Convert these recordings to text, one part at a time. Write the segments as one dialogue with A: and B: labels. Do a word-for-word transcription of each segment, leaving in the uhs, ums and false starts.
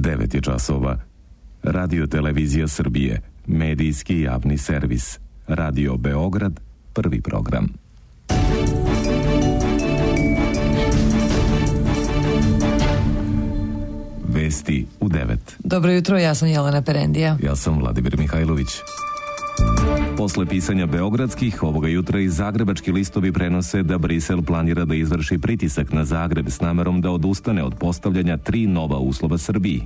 A: devet je časova. Radio Televizija Srbije, medijski javni servis. Radio Beograd, prvi program. Vesti u devet.
B: Dobro jutro, ja sam Jelena Perendija.
A: Ja sam Vladimir Mihajlović. Posle pisanja beogradskih, ovoga jutra i zagrebački listovi prenose da Brisel planira da izvrši pritisak na Zagreb s namerom da odustane od postavljanja tri nova uslova Srbiji.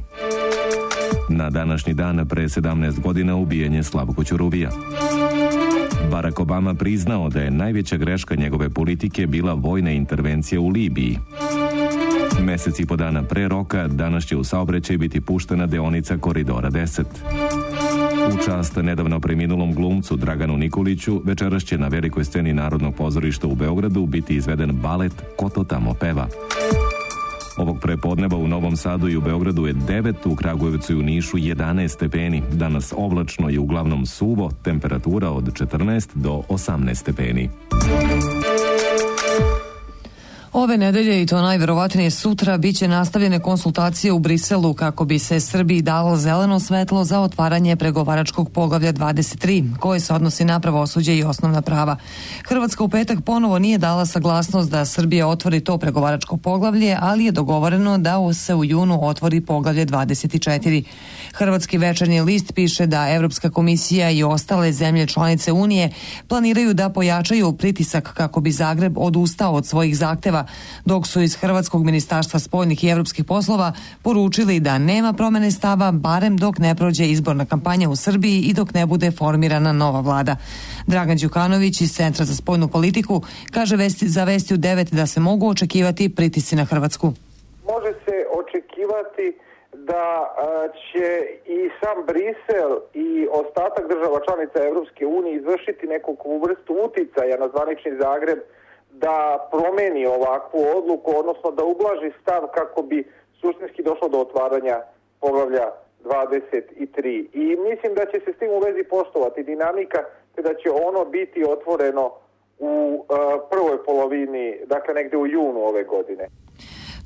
A: Na današnji dan pre sedamnaest godina ubijen je Slavko Ćuruvija. Barack Obama priznao da je najveća greška njegove politike bila vojna intervencija u Libiji. Mesec i po dana pre roka danas će u saobraćaj biti puštena deonica Koridora deset. U čast nedavno preminulom glumcu Draganu Nikoliću večeras će na velikoj sceni Narodnog pozorišta u Beogradu biti izveden balet Ko to tamo peva. Ovog prepodneva u Novom Sadu i u Beogradu je devet, u Kragujevcu i u Nišu jedanaest stepeni. Danas oblačno i uglavnom suvo, temperatura od četrnaest do osamnaest stepeni.
B: Ove nedelje, i to najverovatnije sutra, bit će nastavljene konsultacije u Briselu kako bi se Srbiji dalo zeleno svetlo za otvaranje pregovaračkog poglavlja dvadeset tri, koje se odnosi na pravosuđe i osnovna prava. Hrvatska u petak ponovo nije dala saglasnost da Srbija otvori to pregovaračko poglavlje, ali je dogovoreno da se u junu otvori poglavlje dvadeset četiri. Hrvatski večernji list piše da Evropska komisija i ostale zemlje članice Unije planiraju da pojačaju pritisak kako bi Zagreb odustao od svojih zahteva, dok su iz Hrvatskog ministarstva spoljnih i evropskih poslova poručili da nema promene stava barem dok ne prođe izborna kampanja u Srbiji i dok ne bude formirana nova vlada. Dragan Đukanović iz Centra za spoljnu politiku kaže vesti, za Vesti u devet da se mogu očekivati pritisci na Hrvatsku.
C: Može se očekivati da će i sam Brisel i ostatak država članica Evropske unije izvršiti neku vrstu uticaja na zvanični Zagreb da promeni ovakvu odluku, odnosno da ublaži stav kako bi suštinski došlo do otvaranja poglavlja dvadeset tri. I mislim da će se s tim u vezi poštovati dinamika, te da će ono biti otvoreno u uh, prvoj polovini, dakle negde u junu ove godine.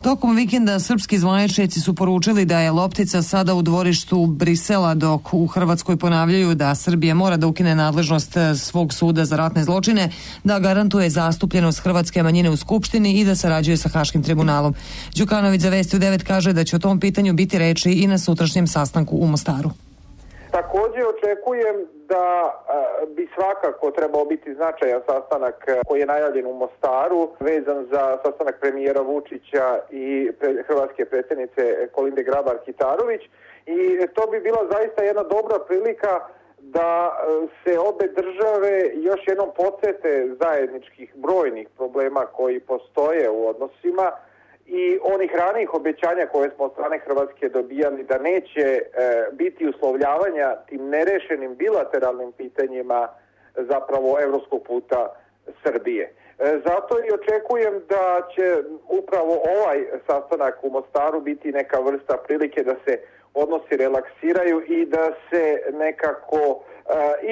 B: Tokom vikenda srpski zvaničnici su poručili da je loptica sada u dvorištu Brisela, dok u Hrvatskoj ponavljaju da Srbija mora da ukine nadležnost svog suda za ratne zločine, da garantuje zastupljenost hrvatske manjine u Skupštini i da sarađuje sa Haškim tribunalom. Đukanović za Vesti u devet kaže da će o tom pitanju biti reči i na sutrašnjem sastanku u Mostaru.
C: Također očekujem da bi svakako trebao biti značajan sastanak koji je najavljen u Mostaru, vezan za sastanak premijera Vučića i hrvatske predsjednice Kolinde Grabar-Kitarović, i to bi bila zaista jedna dobra prilika da se obe države još jednom podsete zajedničkih brojnih problema koji postoje u odnosima i onih ranijih obećanja koje smo od strane Hrvatske dobijali da neće e, biti uslovljavanja tim nerešenim bilateralnim pitanjima zapravo evropskog puta Srbije. E, zato i očekujem da će upravo ovaj sastanak u Mostaru biti neka vrsta prilike da se odnosi relaksiraju i da se nekako e,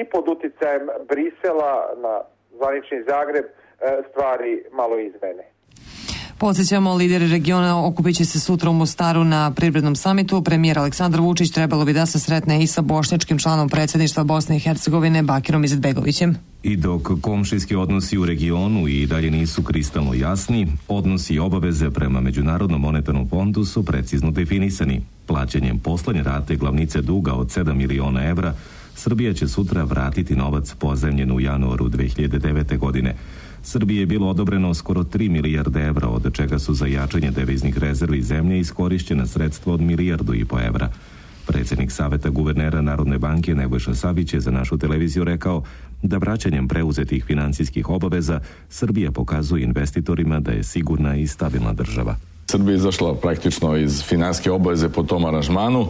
C: i pod uticajem Brisela na zvanični Zagreb e, stvari malo izmene.
B: Podsjećamo, lideri regiona okupit će se sutra u Mostaru na privrednom samitu. Premijer Aleksandar Vučić trebalo bi da se sretne i sa bošnjačkim članom predsjedništva Bosne i Hercegovine Bakirom Izetbegovićem.
A: I dok komšijski odnosi u regionu i dalje nisu kristalno jasni, odnosi i obaveze prema Međunarodnom monetarnom fondu su precizno definisani. Plaćanjem poslednje rate glavnice duga od sedam miliona evra, Srbija će sutra vratiti novac pozajmljen u januaru dve hiljade devete. godine. Srbiji je bilo odobreno skoro tri milijarde evra, od čega su za jačanje deviznih rezervi zemlje iskorišćena sredstva od milijardu i po evra. Predsjednik Saveta guvernera Narodne banke Nebojša Savić je za našu televiziju rekao da vraćanjem preuzetih finansijskih obaveza Srbija pokazuje investitorima da je sigurna i stabilna država.
D: Srbija je izašla praktično iz finansijske obaveze po tom aranžmanu.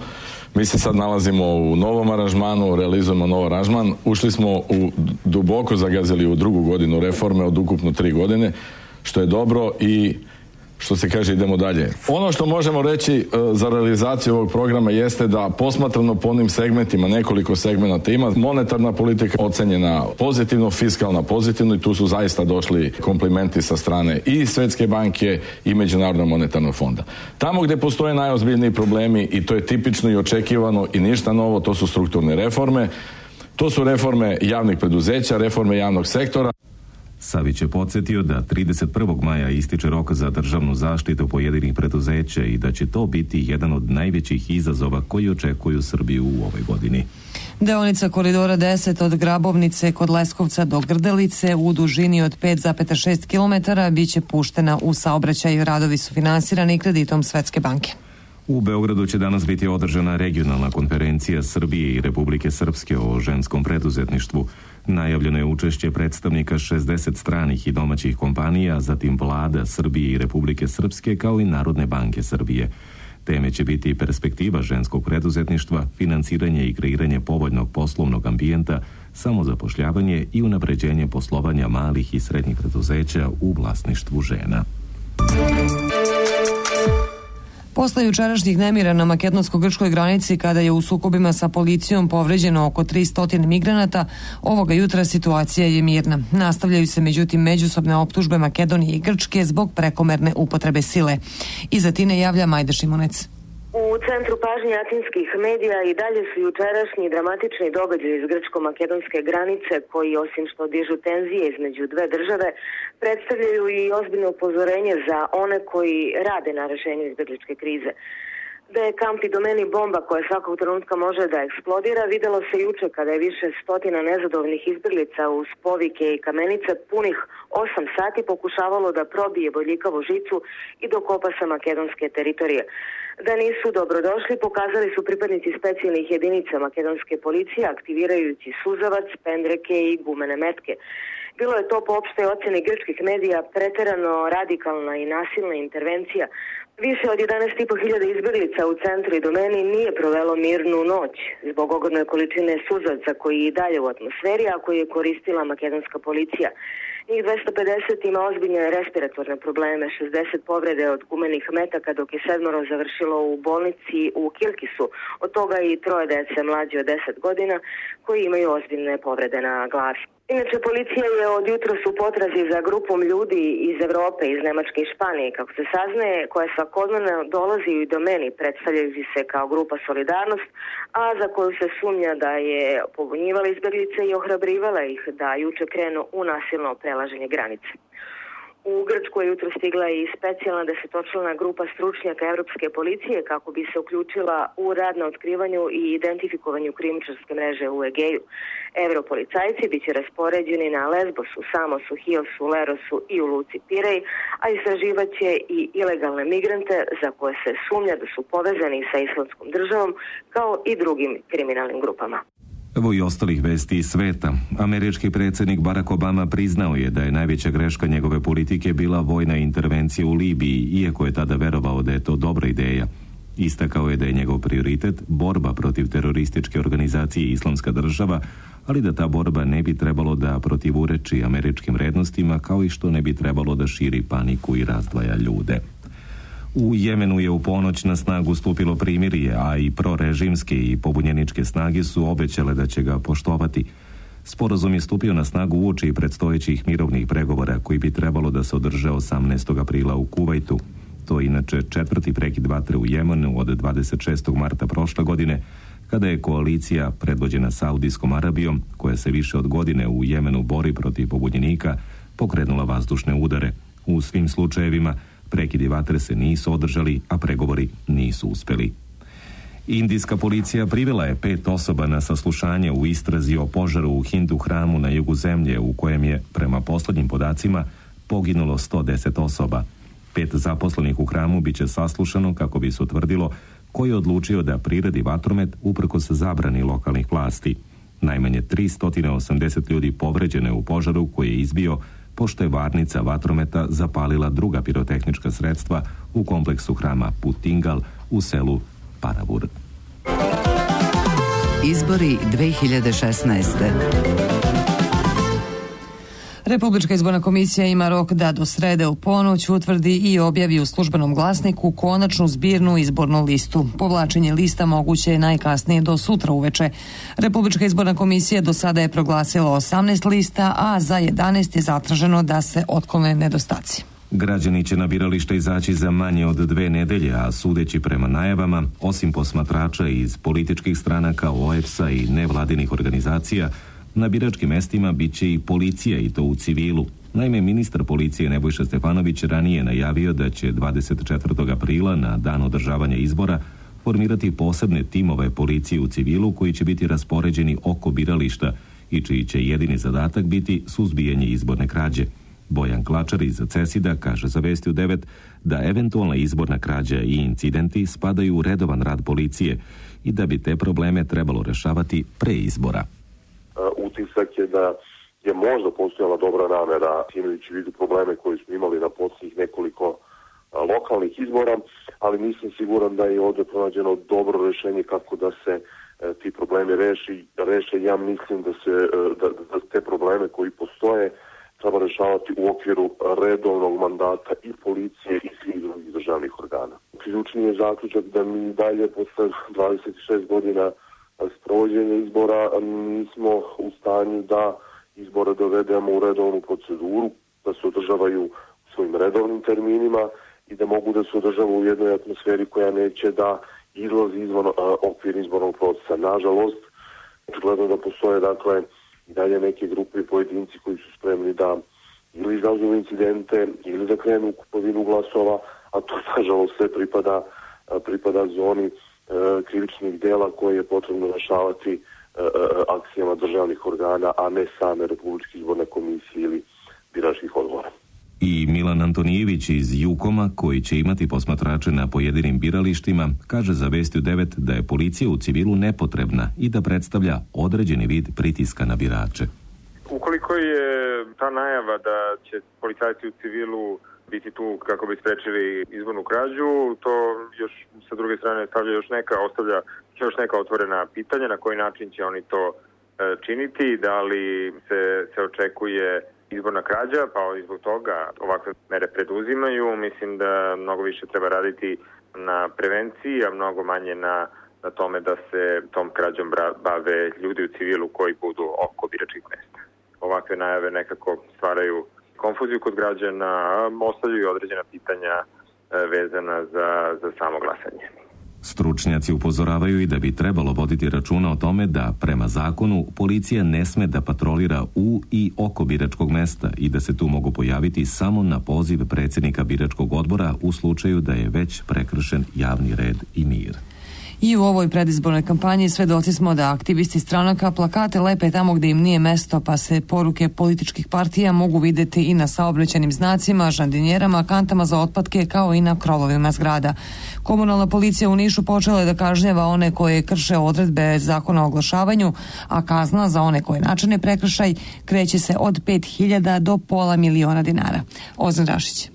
D: Mi se sad nalazimo u novom aranžmanu, realizujemo nov aranžman. Ušli smo u duboko zagazili u drugu godinu reforme od ukupno tri godine, što je dobro i što se kaže, idemo dalje. Ono što možemo reći za realizaciju ovog programa jeste da posmatrano po onim segmentima, nekoliko segmenata ima, monetarna politika ocenjena pozitivno, fiskalna pozitivno i tu su zaista došli komplimenti sa strane i Svetske banke i Međunarodnog monetarnog fonda. Tamo gdje postoje najozbiljniji problemi, i to je tipično i očekivano i ništa novo, to su strukturne reforme, to su reforme javnih preduzeća, reforme javnog sektora.
A: Savić je podsjetio da trideset prvog maja ističe rok za državnu zaštitu pojedinih preduzeća i da će to biti jedan od najvećih izazova koji očekuju Srbiju u ovoj godini.
B: Deonica koridora deset od Grabovnice kod Leskovca do Grdelice u dužini od pet zarez šest kilometara biće puštena u saobraćaj. Radovi su finansirani kreditom Svetske banke.
A: U Beogradu će danas biti održana regionalna konferencija Srbije i Republike Srpske o ženskom preduzetništvu. Najavljeno je učešće predstavnika šezdeset stranih i domaćih kompanija, zatim vlada Srbije i Republike Srpske kao i Narodne banke Srbije. Teme će biti perspektiva ženskog preduzetništva, finansiranje i kreiranje povoljnog poslovnog ambijenta, samozapošljavanje i unapređenje poslovanja malih i srednjih preduzeća u vlasništvu žena.
B: Posle jučerašnjih nemira na makedonsko-grčkoj granici, kada je u sukobima sa policijom povređeno oko tristo migranata, ovoga jutra situacija je mirna. Nastavljaju se međutim međusobne optužbe Makedonije i Grčke zbog prekomerne upotrebe sile. Iz Atine javlja Majda Šimunec.
E: U centru pažnje atinskih medija i dalje su jučerašnji dramatični događaji iz grčko-makedonske granice, koji osim što dižu tenzije između dve države, predstavljaju i ozbiljno upozorenje za one koji rade na rešenju izbegličke krize. Da je kamp Idomeni bomba koja svakog trenutka može da eksplodira, videlo se juče kada je više stotina nezadovoljnih izbeglica uz povike i kamenice punih osam sati pokušavalo da probije bodljikavu žicu i dokopa sa makedonske teritorije. Da nisu dobrodošli, pokazali su pripadnici specijalnih jedinica makedonske policije aktivirajući suzavac, pendreke i gumene metke. Bilo je to po opštoj oceni grčkih medija preterano radikalna i nasilna intervencija. Više od jedanaest i po hiljada izbeglica u centru Idomeni nije provelo mirnu noć zbog ogromne količine suzavca koji je i dalje u atmosferi, a koji je koristila makedonska policija. Njih dvesta pedeset ima ozbiljne respiratorne probleme, šezdeset povrede od gumenih metaka, dok je sedmoro završilo u bolnici u Kilkisu, od toga i troje dece mlađe od deset godina koji imaju ozbiljne povrede na glavi. Inače, policija je od jutros u potrazi za grupom ljudi iz Evrope, iz Nemačke i Španije, kako se saznaje, koja svakodnevno dolazi u Idomeni, predstavljajući se kao grupa Solidarnost, a za koju se sumnja da je pobunjivala izbeglice i ohrabrivala ih da juče krenu u nasilno prelaženje granice. U Grčku je jutro stigla i specijalna desetočlana grupa stručnjaka Evropske policije kako bi se uključila u rad na otkrivanju i identifikovanju krijumčarske mreže u Egeju. Evropolicajci biće raspoređeni na Lesbosu, Samosu, Hiosu, Lerosu i u luci Pirej, a istraživaće i ilegalne migrante za koje se sumnja da su povezani sa Islamskom državom kao i drugim kriminalnim grupama.
A: Evo i ostalih vesti iz sveta. Američki predsjednik Barack Obama priznao je da je najveća greška njegove politike bila vojna intervencija u Libiji, iako je tada verovao da je to dobra ideja. Istakao je da je njegov prioritet borba protiv terorističke organizacije Islamska država, ali da ta borba ne bi trebalo da protivureči američkim vrednostima, kao i što ne bi trebalo da širi paniku i razdvaja ljude. U Jemenu je u ponoć na snagu stupilo primirje, a i prorežimske i pobunjeničke snage su obećale da će ga poštovati. Sporazum je stupio na snagu uoči predstojećih mirovnih pregovora koji bi trebalo da se održe osamnaestog aprila u Kuvajtu. To je inače četvrti prekid vatre u Jemenu od dvadeset šestog marta prošle godine, kada je koalicija predvođena Saudijskom Arabijom, koja se više od godine u Jemenu bori protiv pobunjenika, pokrenula vazdušne udare. U svim slučajevima prekidi vatre se nisu održali, a pregovori nisu uspeli. Indijska policija privela je pet osoba na saslušanje u istrazi o požaru u Hindu hramu na jugu zemlje, u kojem je, prema poslednjim podacima, poginulo sto deset osoba. Pet zaposlenih u hramu biće saslušano kako bi se utvrdilo ko je odlučio da priredi vatromet uprkos zabrani lokalnih vlasti. Najmanje tristo osamdeset ljudi povređeno je u požaru koji je izbio pošto je varnica vatrometa zapalila druga pirotehnička sredstva u kompleksu hrama Putingal u selu Paravur.
F: Izbori dve hiljade šesnaeste.
B: Republička izborna komisija ima rok da do srede u ponoć utvrdi i objavi u službenom glasniku konačnu zbirnu izbornu listu. Povlačenje lista moguće je najkasnije do sutra uveče. Republička izborna komisija do sada je proglasila osamnaest lista, a za jedanaest je zatraženo da se otklone nedostaci.
A: Građani će na biralište izaći za manje od dve nedelje, a sudeći prema najavama, osim posmatrača iz političkih stranaka, O E P S-a i nevladinih organizacija, na biračkim mestima bit će i policija, i to u civilu. Naime, ministar policije Nebojša Stefanović ranije najavio da će dvadeset četvrtog aprila, na dan održavanja izbora, formirati posebne timove policije u civilu koji će biti raspoređeni oko birališta i čiji će jedini zadatak biti suzbijanje izborne krađe. Bojan Klačar iz Cesida kaže za Vesti u devet da eventualna izborna krađa i incidenti spadaju u redovan rad policije i da bi te probleme trebalo rešavati pre izbora.
F: Utisak je da je možda postojala dobra namera, imajući u vidu probleme koje smo imali na posljednjih nekoliko lokalnih izbora, ali nisam siguran da je ovdje pronađeno dobro rješenje kako da se ti problemi reši. reše. Ja mislim da se da, da te probleme koji postoje treba rešavati u okviru redovnog mandata i policije i svih drugih državnih organa. Ključni je zaključak da mi dalje posle dvadeset šest godina sprovođenja izbora nismo u stanju da izbore dovedemo u redovnu proceduru, da se održavaju u svojim redovnim terminima i da mogu da se održavaju u jednoj atmosferi koja neće da izlazi izvan okvir izbornog procesa. Nažalost, očigledno da postoje dakle i dalje neke grupe i pojedinci koji su spremni da ili izazovu incidente ili da krenu u kupovinu glasova, a to nažalost sve pripada, pripada zoni e, krivičnih dela koje je potrebno rešavati e, akcijama državnih organa, a ne same Republičke izborne komisije ili biračkih odbora.
A: I Milan Antonijević iz Jukoma, koji će imati posmatrače na pojedinim biralištima, kaže za Vesti u devet da je policija u civilu nepotrebna i da predstavlja određeni vid pritiska na birače.
G: Ukoliko je ta najava da će policajci u civilu biti tu kako bi sprečili izbornu krađu, to još sa druge strane stavlja još neka, ostavlja još neka otvorena pitanja na koji način će oni to činiti, da li se, se očekuje izborna krađa, pa zbog toga ovakve mere preduzimaju. Mislim da mnogo više treba raditi na prevenciji, a mnogo manje na, na tome da se tom krađom bave ljudi u civilu koji budu oko biračkih mesta. Ovakve najave nekako stvaraju konfuziju kod građana, ostavljaju određena pitanja vezana za, za samo glasanje.
A: Stručnjaci upozoravaju i da bi trebalo voditi računa o tome da, prema zakonu, policija ne sme da patrolira u i oko biračkog mesta i da se tu mogu pojaviti samo na poziv predsjednika biračkog odbora u slučaju da je već prekršen javni red i mir.
B: I u ovoj predizbornoj kampanji svedoci smo da aktivisti stranaka plakate lepe tamo gdje im nije mesto, pa se poruke političkih partija mogu vidjeti i na saobraćajnim znacima, žandinjerama, kantama za otpadke, kao i na krovovima zgrada. Komunalna policija u Nišu počela je da kažnjava one koje krše odredbe zakona o oglašavanju, a kazna za one koje načine prekršaj kreće se od pet hiljada do pola miliona dinara. Ozan Rašić.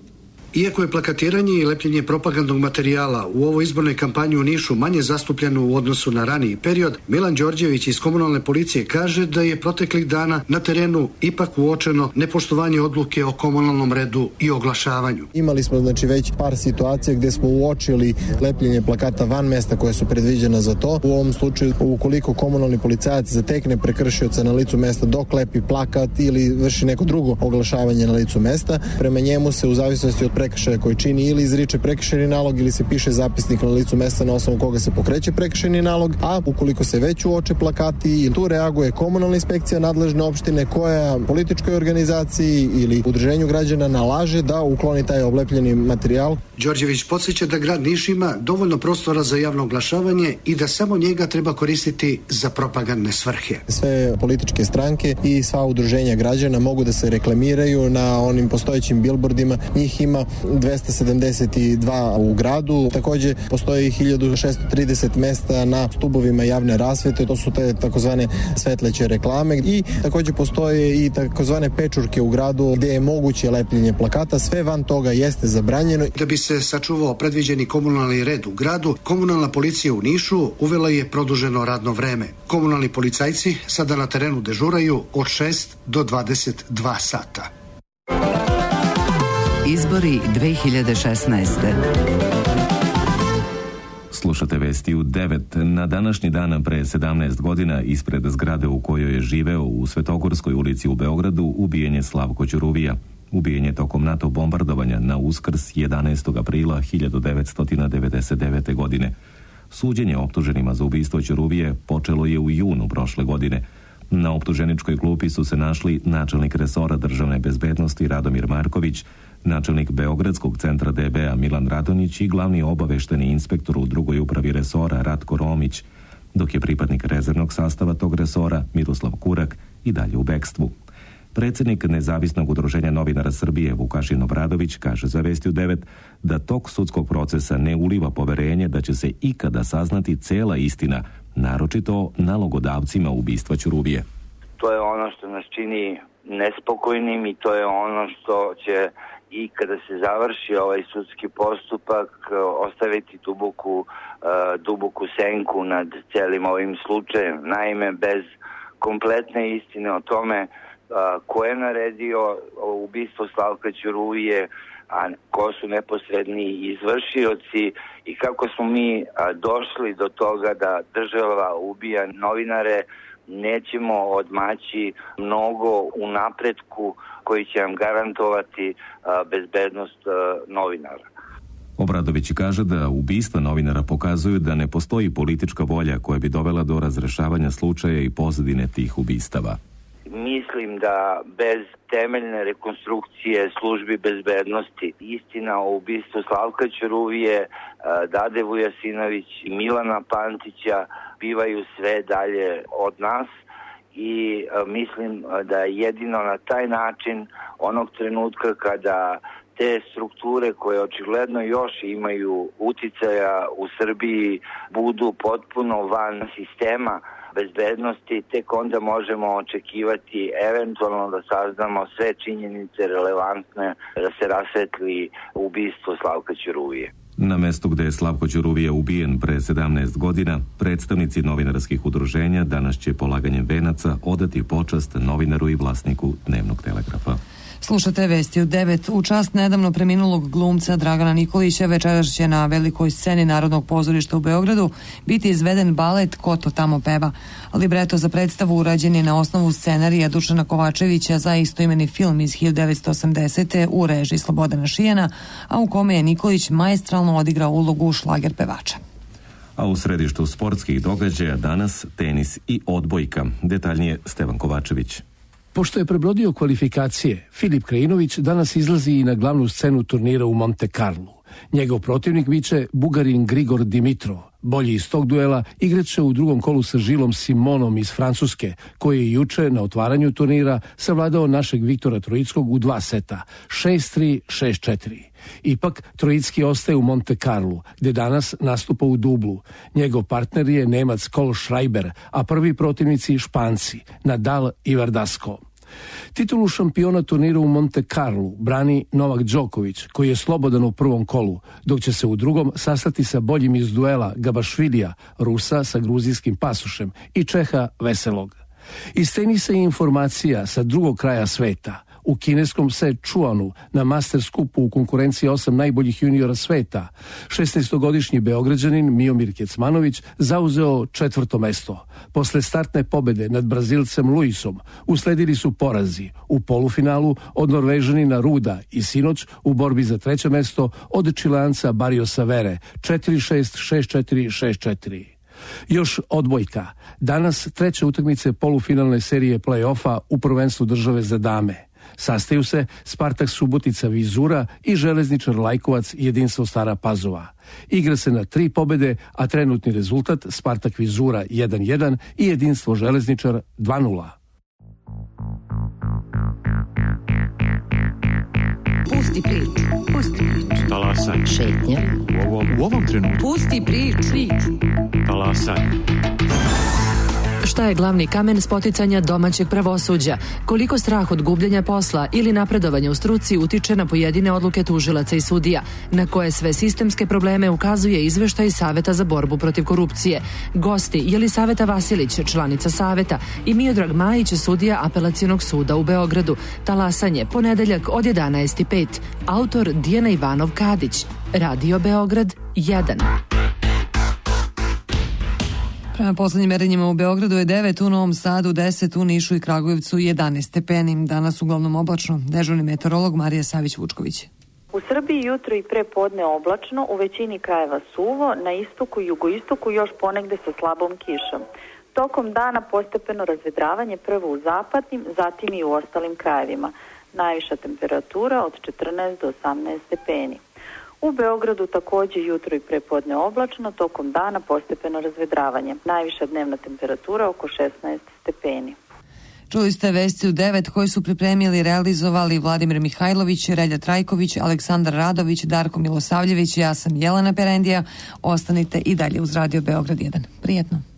H: Iako je plakatiranje i lepljenje propagandnog materijala u ovoj izbornoj kampanji u Nišu manje zastupljeno u odnosu na raniji period, Milan Đorđević iz komunalne policije kaže da je proteklih dana na terenu ipak uočeno nepoštovanje odluke o komunalnom redu i oglašavanju.
I: Imali smo znači već par situacija gdje smo uočili lepljenje plakata van mesta koje su predviđena za to. U ovom slučaju, ukoliko komunalni policajac zatekne prekršioca na licu mesta dok lepi plakat ili vrši neko drugo oglašavanje na licu mesta, prema njemu se u zavisnosti od prekršaja koji čini ili izriče prekršajni nalog ili se piše zapisnik na licu mesta na osnovu koga se pokreće prekršajni nalog, a ukoliko se već uoče plakati, tu reaguje komunalna inspekcija nadležne opštine koja političkoj organizaciji ili udruženju građana nalaže da ukloni taj oblepljeni materijal.
H: Đorđević podsjeća da grad Niš ima dovoljno prostora za javno oglašavanje i da samo njega treba koristiti za propagandne svrhe.
I: Sve političke stranke i sva udruženja građana mogu da se reklamiraju na onim postojećim bilbordima. Njih ima dvesta sedamdeset dva u gradu. Takođe postoji hiljadu šessto trideset mesta na stubovima javne rasvete, to su te takozvane svetleće reklame i takođe postoje i takozvane pečurke u gradu gde je moguće lepljenje plakata. Sve van toga jeste zabranjeno.
H: Da bi se sačuvao predviđeni komunalni red u gradu, komunalna policija u Nišu uvela je produženo radno vreme. Komunalni policajci sada na terenu dežuraju od šest do dvadeset dva sata.
J: Izbori dve hiljade šesnaeste.
A: Slušate vesti u devet. Na današnji dan pre sedamnaest godina ispred zgrade u kojoj je živeo u Svetogorskoj ulici u Beogradu ubijen je Slavko Ćuruvija. Ubijen je tokom NATO bombardovanja na Uskrs jedanaestog aprila hiljadu devetsto devedeset devete. godine. Suđenje optuženima za ubistvo Ćuruvije počelo je u junu prošle godine. Na optuženičkoj klupi su se našli načelnik resora državne bezbednosti Radomir Marković, načelnik Beogradskog centra D B-a Milan Radonjić i glavni obavešteni inspektor u drugoj upravi resora Ratko Romić, dok je pripadnik rezervnog sastava tog resora Miroslav Kurak i dalje u bekstvu. Predsednik Nezavisnog udruženja novinara Srbije Vukašin Obradović kaže za Vesti u devet da tok sudskog procesa ne uliva poverenje da će se ikada saznati cela istina, naročito nalogodavcima ubistva Ćuruvije.
K: To je ono što nas čini nespokojnim i to je ono što će i kada se završi ovaj sudski postupak ostaviti duboku, duboku senku nad celim ovim slučajem. Naime, bez kompletne istine o tome ko je naredio ubistvo Slavka Ćuruvije, a ko su neposredni izvršioci i kako smo mi došli do toga da država ubija novinare, nećemo odmaći mnogo u napretku koji će nam garantovati bezbednost novinara.
A: Obradović kaže da ubistva novinara pokazuju da ne postoji politička volja koja bi dovela do razrešavanja slučaja i pozadine tih ubistava.
K: Mislim da bez temeljne rekonstrukcije službi bezbednosti istina o ubistvu Slavka Ćuruvije, Dade Vujasinović i Milana Pantića bivaju sve dalje od nas i mislim da jedino na taj način onog trenutka kada te strukture koje očigledno još imaju uticaja u Srbiji budu potpuno van sistema bezbednosti, tek onda možemo očekivati eventualno da saznamo sve činjenice relevantne da se rasvetli ubistvo Slavka Ćuruvije.
A: Na mestu gde je Slavko Ćuruvija ubijen pre sedamnaest godina, predstavnici novinarskih udruženja danas će polaganjem venaca odati počast novinaru i vlasniku Dnevnog telegrafa.
B: Slušate Vesti u devet. U čast nedavno preminulog glumca Dragana Nikolića večeras će na velikoj sceni Narodnog pozorišta u Beogradu biti izveden balet Ko to tamo peva. Libreto za predstavu urađen je na osnovu scenarija Dušana Kovačevića za istoimeni film iz hiljadu devetsto osamdesete. u režiji Slobodana Šijana, a u kome je Nikolić maestralno odigrao ulogu šlager pevača.
A: A u središtu sportskih događaja danas tenis i odbojka. Detaljnije Stevan Kovačević.
L: Pošto je prebrodio kvalifikacije, Filip Krajinović danas izlazi i na glavnu scenu turnira u Monte Carlu. Njegov protivnik biće Bugarin Grigor Dimitrov. Bolji iz tog duela igraće u drugom kolu sa Žilom Simonom iz Francuske, koji je juče na otvaranju turnira savladao našeg Viktora Trojickog u dva seta, šest tri, šest četiri. Ipak, Trojicki ostaje u Monte Carlu, gde danas nastupa u dublu. Njegov partner je Nemac Kol Schreiber, a prvi protivnici Španci, Nadal i Verdasco. Titulu šampiona turnira u Monte Carlu brani Novak Đoković, koji je slobodan u prvom kolu, dok će se u drugom sastati sa boljim iz duela Gabašvilija, Rusa sa gruzijskim pasošem i Čeha Veselog. Iz tenisa i informacija sa drugog kraja sveta. U kineskom Sečuanu na Masters Cupu u konkurenciji osam najboljih juniora sveta, šesnaestogodišnji Beograđanin Miomir Kecmanović zauzeo četvrto mesto. Posle startne pobede nad Brazilcem Luisom usledili su porazi u polufinalu od Norvežanina Ruda i sinoć u borbi za treće mesto od Čileanca Barriosa Vere četiri šest, šest četiri, šest četiri. Još odbojka. Danas treće utakmice polufinalne serije play-offa u prvenstvu države za dame. Sastaju se Spartak Subotica Vizura i Železničar Lajkovac Jedinstvo Stara Pazova. Igra se na tri pobede, a trenutni rezultat Spartak Vizura jedan jedan i Jedinstvo Železničar dva nula.
M: Pusti priču. Pusti priču.
N: Talasaj.
M: Šetnja.
N: U ovom, u ovom trenutku.
M: Pusti priču. Priču.
N: Talasaj.
O: Šta je glavni kamen spoticanja domaćeg pravosuđa? Koliko strah od gubljenja posla ili napredovanja u struci utiče na pojedine odluke tužilaca i sudija? Na koje sve sistemske probleme ukazuje izveštaj Saveta za borbu protiv korupcije? Gosti Jelisaveta Vasilić, članica Saveta, i Miodrag Majić, sudija Apelacionog suda u Beogradu. Talasanje, ponedeljak od jedanaest i pet. Autor Dijana Ivanov Kadić. Radio Beograd jedan.
B: Prema poslednjim merenjima u Beogradu je devet, u Novom Sadu deset, u Nišu i Kragujevcu jedanaest stepeni. Danas uglavnom oblačno. Dežurni meteorolog Marija Savić-Vučković.
P: U Srbiji jutro i pre podne oblačno, u većini krajeva suvo, na istoku i jugoistoku još ponegde sa slabom kišom. Tokom dana postepeno razvedravanje prvo u zapadnim, zatim i u ostalim krajevima. Najviša temperatura od četrnaest do osamnaest stepeni. U Beogradu takođe jutro i prepodne oblačno, tokom dana postepeno razvedravanje. Najviša dnevna temperatura oko šesnaest stepeni.
B: Čuli ste vesti u devet koji su pripremili i realizovali Vladimir Mihajlović, Relja Trajković, Aleksandar Radović, Darko Milosavljević, ja sam Jelena Perendija. Ostanite i dalje uz Radio Beograd jedan. Prijetno.